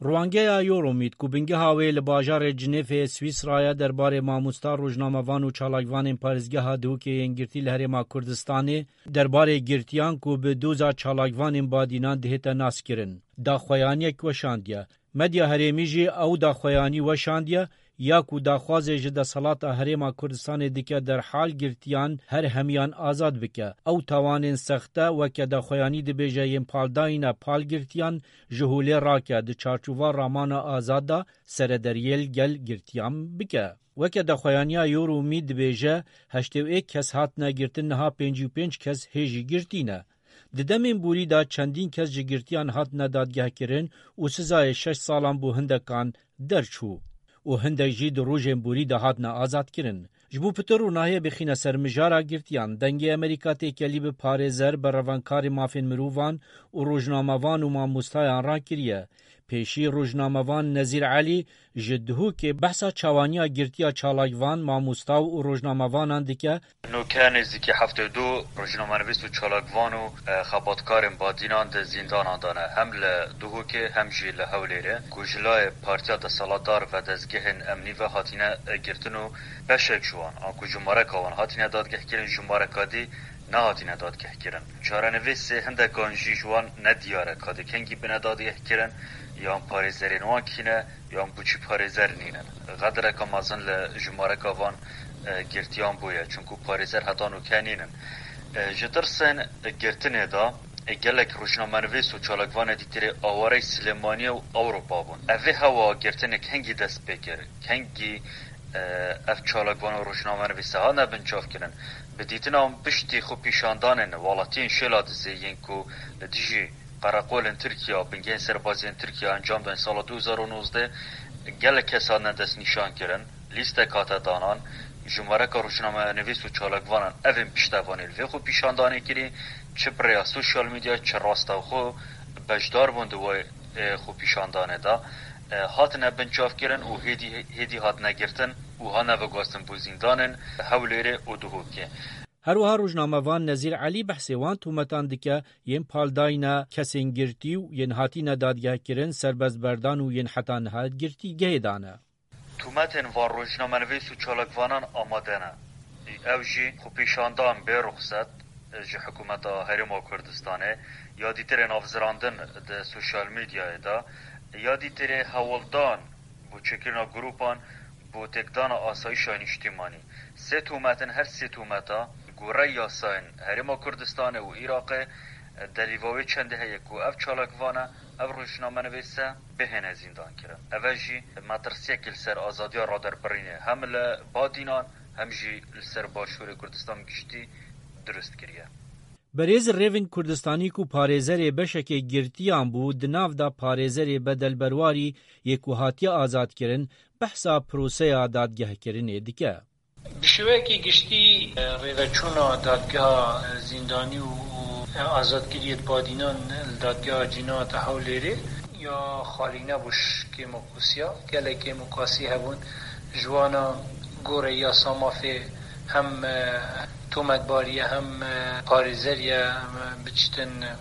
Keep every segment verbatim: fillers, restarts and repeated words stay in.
Ruangeya Euromed ku bingeha wê li bajarê Cinêfê Swîsra ye derbarê mamosta, rojnamevan û çalakvanên parêzgeha Duhokê yên girtî li Herêma Kurdistanê derbarê girtiyan ku bi doza çalakvanên badînan dihête naskirin, daxuyaniyek weşandiye. Medya herêmî jî ew daxuyanî weşandiye, ya ku daxwazê ji deselata Herêma Kurdistanê dike derhal girtiyan her hemiyan azad bike. Ew tawanên sexte weke daxuyanî dibêje yên paldayîna pal girtiyan ji holê rake, di çarçova ramana azad de serederiyê li gel girtiyan bike. Weke daxuyaniya Euromed dibêje, heştê û êk kes hatine girtin, niha pêncî û pênc kes hê jî girtî ne. Di demên borî de çendîn kes ji girtiyan hatine dadgehkirin û sizayê şeş salan bo hindekan derçû û hindek jî di rojên borî de hatine azadkirin. Ji bo pitir ronahiyê bixîne ser mijara girtiyan, Dengê Amerîka têkelî bi parêzer, berhevenkarê mafên mirovan û rojnamevan û mamostayan rakiriye. Pêşî rojnamevan Nezîr Elî ji Duhokê behsa çawaniya girtiya çalakvan, mamosta û rojnamevanan dike. Nûke nêzîkî heftê û du rojnamenivîs û çalakvan û, e, xebatkarên badînan di zîndanan de ne. Hem li Duhokê hem jî li Hewlêrê ku ji layê partiya desthilatdar ve dezgehên emnî ve hatine, e, girtin û beşek ji wan, anku jimareka wan hatine dadgehkirin, jimareka dî nehatine dadgehkirin. Çarenivîsê hindekan jî ji wan nediyar e, ka dê kengî bine dadgehkirin, yan parêzerên wan kî ne, yan bo çi parêzer nînin. Xedireke mezin li jimareka van, e, girtiyan bûye, çunku parêzer heta nûke nînin. E, ji tirsên girtinê de, e, gelek rojnamenivîs û çalakvanê dîtirê awarey Silêmaniyê û Ewropa bûn. Ev vê hewa girtinê kengî dest pê kir, kengî, e, ev çalakvan û rojnamenivîse hatine binçavkirin. Bi dîtina wan piştî xwepîşandanên welatiyên Şêladizê yên ku li dijî qereqolên Tirkiye û bingehên serbazî yên Tirkiye encam dan sala du hezar û nozdeh, gelek kes hatine destnîşankirin, lîstek hate danan, jimareka rojnamenivîs û çalakvanan evên piştevanî li vê xwepîşandanê kirî, çi bi rêya sosyal medya, çi rastewxo beşdar bûn di wê, e, xwepîşandanê de, e, hatine binçavkirin û hêdî, hêdî hatine girtin û hatine veguhastin bo zîndanên Hewlêrê û Duhokê. Her wiha rojnamevan Nezîr Elî behsê wan tometan dike, yên paldayîna kesên girtî û yên hatîne dadgehkirin, serbestberdan û yên heta niha girtîgehê de ne. Tometên van rojnamenivîs û çalakvanan amade ne. Ew jî xwepîşandan bê ruxset ji hikûmeta Herêma Kurdistanê, ya dîtirê navzirandin di sosyal medyayê de, ya dîtirê hewldan bo çêkirina grûpan bo têkdana asayîşa nîştîmanî. Sê tomet in, her sê tometa, gorey yasayên Herêma Kurdistanê û Iraqê, delîva wê çendê heye ku ev çalakvane, ev rojnamenivîse bihêne zîndankirin. Eve jî metirsiyekî li ser azadiya raderbirînê hem li Badînan hem jî li ser Başûrê Kurdistan giştî dirust kiriye. Berêz Rêvin Kurdistanî ku parêzerê beşekê girtiyan bû, di nav de parêzerê bedelberwarî yê ku hatiye azadkirin, behsa proseya dadgehkirinê dike. Bi şêweyekî giştî, e, rêveçûna dadgeha, e, zîndanî û, û, e, azadkiriyê badînan li dadgeha Cînata Hewlêrê ya xalî nebû, ji kêmokusiya. Gelek kêmokasî hebûn. Ji wana gorê yasa mafê hem, e, tometbarî ye, hem, e, parêzer ye, em, biçitin, e,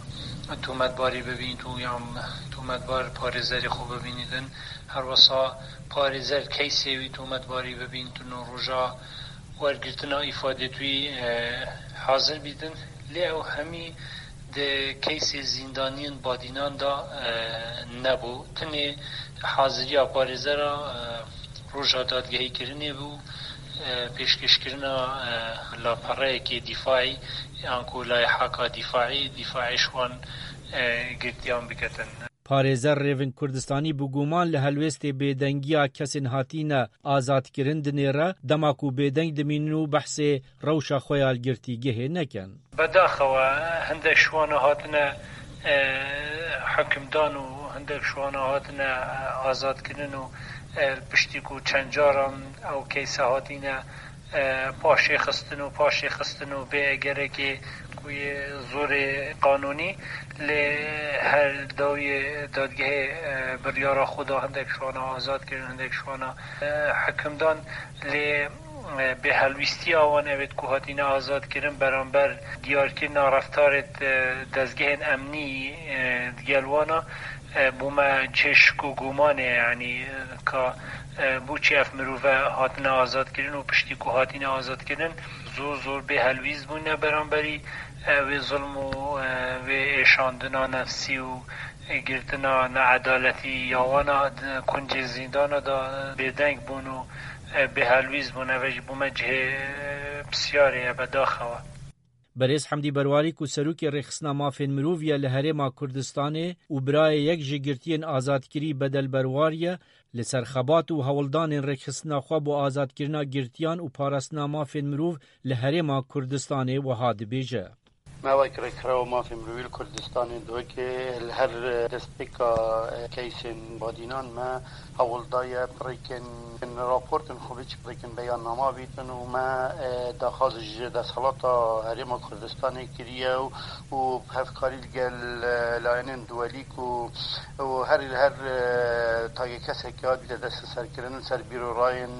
tometbarî bibînît û yan tometbar parêzerê xwe bibînîtin. Her wesa parêzer keysê wî tometbarî bibînîtin û roja wergirtina îfadê wî, e, hazir bîtin. Lê ew hemî di keysê zîndaniyên badînan de, e, nebû. Tenê haziriya parêzera, e, roja dadgehîkirinê bû, e, pêşkêşkirina, e, lapereyekê dîfaî, yan ku layiheka dîfaî, dîfaî ji wan, e, girtiyan biketin. Parêzer Rêvin Kurdistanî bi guman li helwêstê bêdengiya kesên hatîne azadkirin dinêre, dema ku bêdeng dimînin û behsê rewşa xwe ya li girtîgehê nekin. Bedaxewe hindek ji wana hatine, e, hikimdan û hindek ji wana hatine, e, azadkirin û, e, li piştî ku çend caran ew keyse hatîne, e, paşê xistin û paşê xistin û bê egerekê ku yê zorê qanûnî, lê her dawiyê dadgehê, e, biryara xwe da, hindek ji wana azad kirin, hindek ji wana, e, hikimdan, lê, e, bêhelwîstiya wan evêt ku hatine azad kirin beramber diyarkirina reftarê, e, dezgehên emnî, e, digel wana, E, bû me cihê şik û gumanê, yanî, e, ka, e, bû çi ev mirove hatine azadkirin û piştî ku hatine azadkirin, zor zor bê helwîst bûne beramberî, e, wê zilm û, e, wê êşandina nefsî û, e, girtina needaletî ya wana di kuncê zîndana de, e, bêdeng bûn û, e, bê helwîst bûn. Ev jî bû me cihê, e, pisyarê ye, bedaxewa. Berêz Hemdî Berwarî ku serokê Rêxistina Mafên Mirov ye li Herêma Kurdistanê û birayê yek ji girtiyên azadkirî Bedel Berwarî ye, li ser xebat û hewldanên rêkxistina xwe bo azadkirina girtiyan û parastina mafên mirov li Herêma Kurdistanê wiha dibêje. Me wek Rêkxirawa Mafên Mirovî li Kurdistanê, DOKê, li her destpêka keysên badînan me hewl daye bi rêkên raportên xwe biçî, bi rêkên beyannama bîtin û me, e, daxwaz ji desthilata Herêma Kurdistanê kiriye û, û bi hevkarî li gel, e, layenên duwelî ku, û her, her, e, tayê kesekî hatibîte desteserkirin li ser bîrorayên,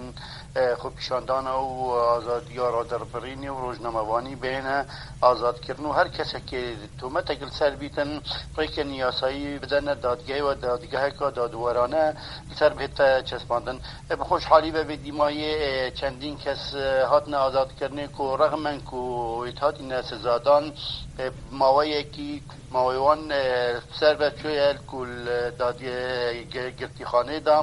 e, xwepîşandana û azadiya raderbirînê û rojnamevanî bihêne azadkirin û her kesekê tometek li ser bîtin, rêkên yasayî bidene dadgehê û dadgeheka dadwerane li ser bihête çespandin. E, bi xweşhalî ve vê dîmayê, e, çendîn kes, e, hatine azadkirinê ku rexmen ku wêt hatine sizadan, e, maweyekî mawê wan, e, ser ve çûye ku li dadiyê gi-, girtîxanê de,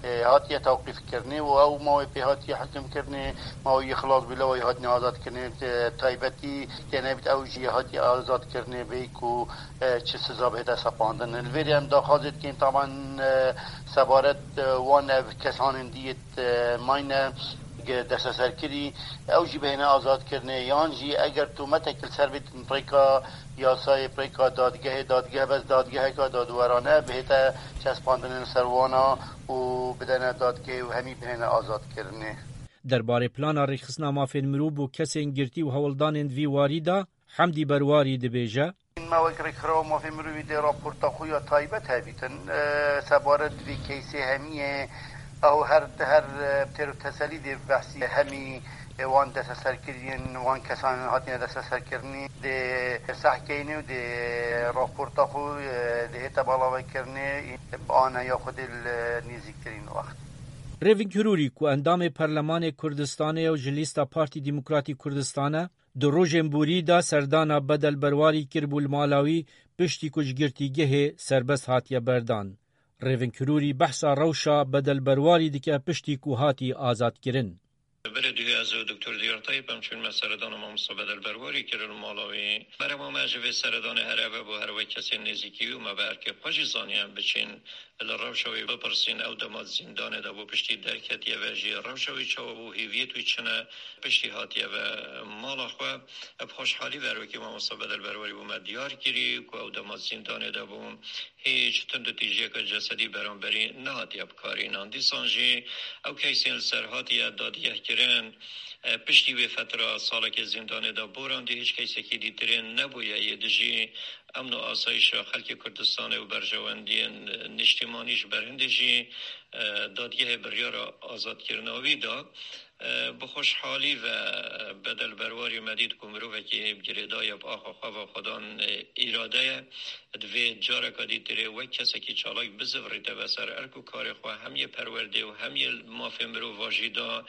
e, hatiye tewqîfkirinê û ew mawê pê hatiye hikimkirinê, mawê yê xilas bû, lewayî hatine azadkirinê, e, taybetî têne bît, ew jî hatiye azadkirinê bê ku, e, çi siza bihête sepandin. Li vêrê em daxwazê dikin, taban, e, sebaret, e, wan ev kesanên dî yê, e, mayne ge-, desteserkirî, ew jî bihêne azadkirinê, yan jî eger tometek li ser bîtin rêka yasayê, rêka dadgehê, dadgeh bes dadgeheka dadwerane bihête çespandinê li ser wana û bidene dadgehê û hemî bihêne azadkirinê. Derbarê plana rêxistina mafên mirov bo kesên girtî û hewldanên di vî warî de, Hemdî Berwarî dibêje. Me wek Rêkxirawa Mafê Mirovî dê raporta xwe ya taybet hebîtin, e, sebaret vê keysê hemiyê ew her, her, e, têr û teselî dê behsî hemî, e, wan desteserkiriyên wan kesan hatine desteserkirinî dê sehkeyne û dê raporta xwe, e, dê hête balavekirinê, e, bi aneya xwe dê li nêzîktirîn wext. Rêving Hirûrî ku endamê Perlemanê Kurdistanê ye û ji lîsta Partî Demokratî Kurdistan e, di rojên borî de serdana Bedel Berwarî kiribû li mala wî, piştî ku ji girtîgehê serbest hatiye berdan. Rêving Hirûrî behsa rewşa Bedel Berwarî dike piştî ku hatî azadkirin. Berê duhê ez û Doktor Diyar Tayyip em çûn me seredana mamosta Bedel Berwarî kirin li mala wî. Berema me ji vê seredanê her eve bû, her wek kesên nêzîkî wî û me bi erkê xwe jî zaniye em biçin li rewşa wî bipirsîn, ew dema di zîndanê de bû, piştî derketiye ve jî rewşa wî çawa bû, hêviyêt wî çi ne, piştî hatiye ve mala xwe. Bi xweşhalî ve her wekî mamosta Bedel Berwarî bo me diyar kirî ku ew dema di zîndanê de bû, hîç tundûtîjiyeke cesedî beramberî nehatiye bikarînan. Dîsan jî ew keysên li ser hatiye dadgehkirin, e, piştî wê fetra salekê zîndanê de borandî, hîç keysekî dîtirên nebûye yê dijî emn û asayîşa xelkê Kurdistanê û berjewendiyên niştîmanî ji ber hindê jî, e, dadgehê biryara azadkirina wî da. E, bi xweşhalî ve Bedel Berwarî me dît ku mirovekî girêdayî ye, bi axa xwe ve xwedan, e, îrade ye. Divê careka dîtirê wek kesekî çalak bizivirîte ve ser erk û karê xwe, hem yê perwerdê û hem yê mafê mirova jî da.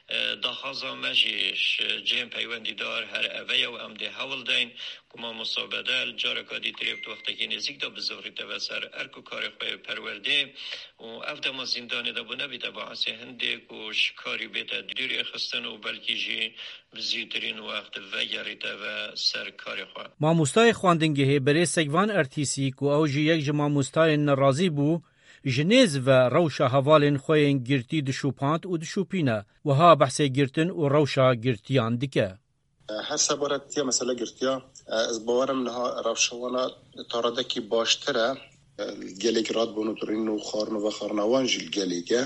E, daxwaza me jî ji cihên peywendîdar her eve ye û em dê hewl deyn ku mamosta Bedel careka dîtirê bi wextekî nêzîk de bizivirîte ve ser erk û karê xwe yê perwerdê û ev dema zîndanê de bû nebîte baisê hindê ku ji karî bête dûrê xistin û belkî jî bi zûtirîn wext vegerîte ve ser karê xwe. Mamostayê xwendingehê Berê Sekvan Ertîsî ku ew jî yek ji mamostayên nerazî bû, ji nêz ve rewşa hevalên xwe yên girtî dişopand û dişopîne. Wiha behsê girtin û rewşa girtiyan dike. Her sebaretiya mesela girtiya, ez bawerim niha rewşa wana taradekî baştir e. Gelek radbûn û birîn û xwarin û vexwarina wan jî li gelê ye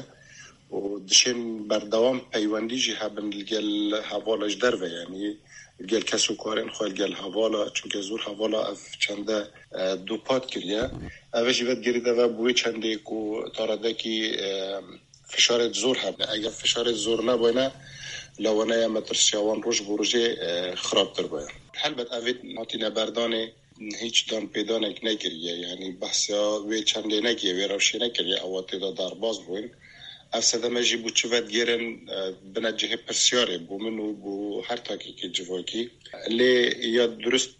û dişên berdewam peywendî jî hebin li gel hevala ji derve, yanî li gel kes û karên xwe, li gel hevala, çunke zor hevala ev çende, e, dûpat kiriye. Ev jî vedigirîte ve bi wê çendê ku taradekî, e, fişarê zor hebe. Eger fişarê zor nebûyne, lewaneya metirsiya wan roj bo rojê, e, xirabtir bûye. Helbet ev ê hatîne berdanê, Hiç danpêdanek nekiriye, yanî behsa wê çendê nekiriye, wê rewşê nekiriye, ewa tê de derbas bûn. Ev sedeme jî bû çi vedigêrin, e, bine cihê pirsyarê bû min û bû her takekê civakî. Lê ya durust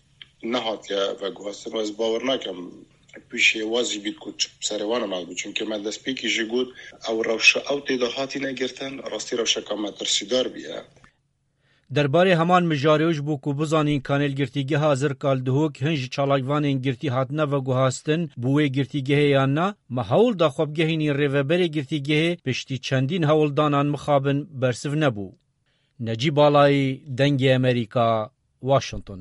nehatiye veguhastin û ez bawer nakim pîşê wa zî bît ku çi serê wan hatibû. Çunke me destpêkî jî got, ew rewşe ew tê de hatîne girtin, rastî rewşeka metirsîdar bûye. Derbarê heman mijarê û ji bo ku bizanîn kanê li girtîgeha Zirka li Duhok hin ji çalakvanên girtî hatine veguhastin bo wê girtîgehê yan na, me hewl da xwe bigehînîn rêveberê girtîgehê, piştî çendîn hewldanan mixabin bersiv nebû. Necîb Alayî, Dengê Amerîka, Washington.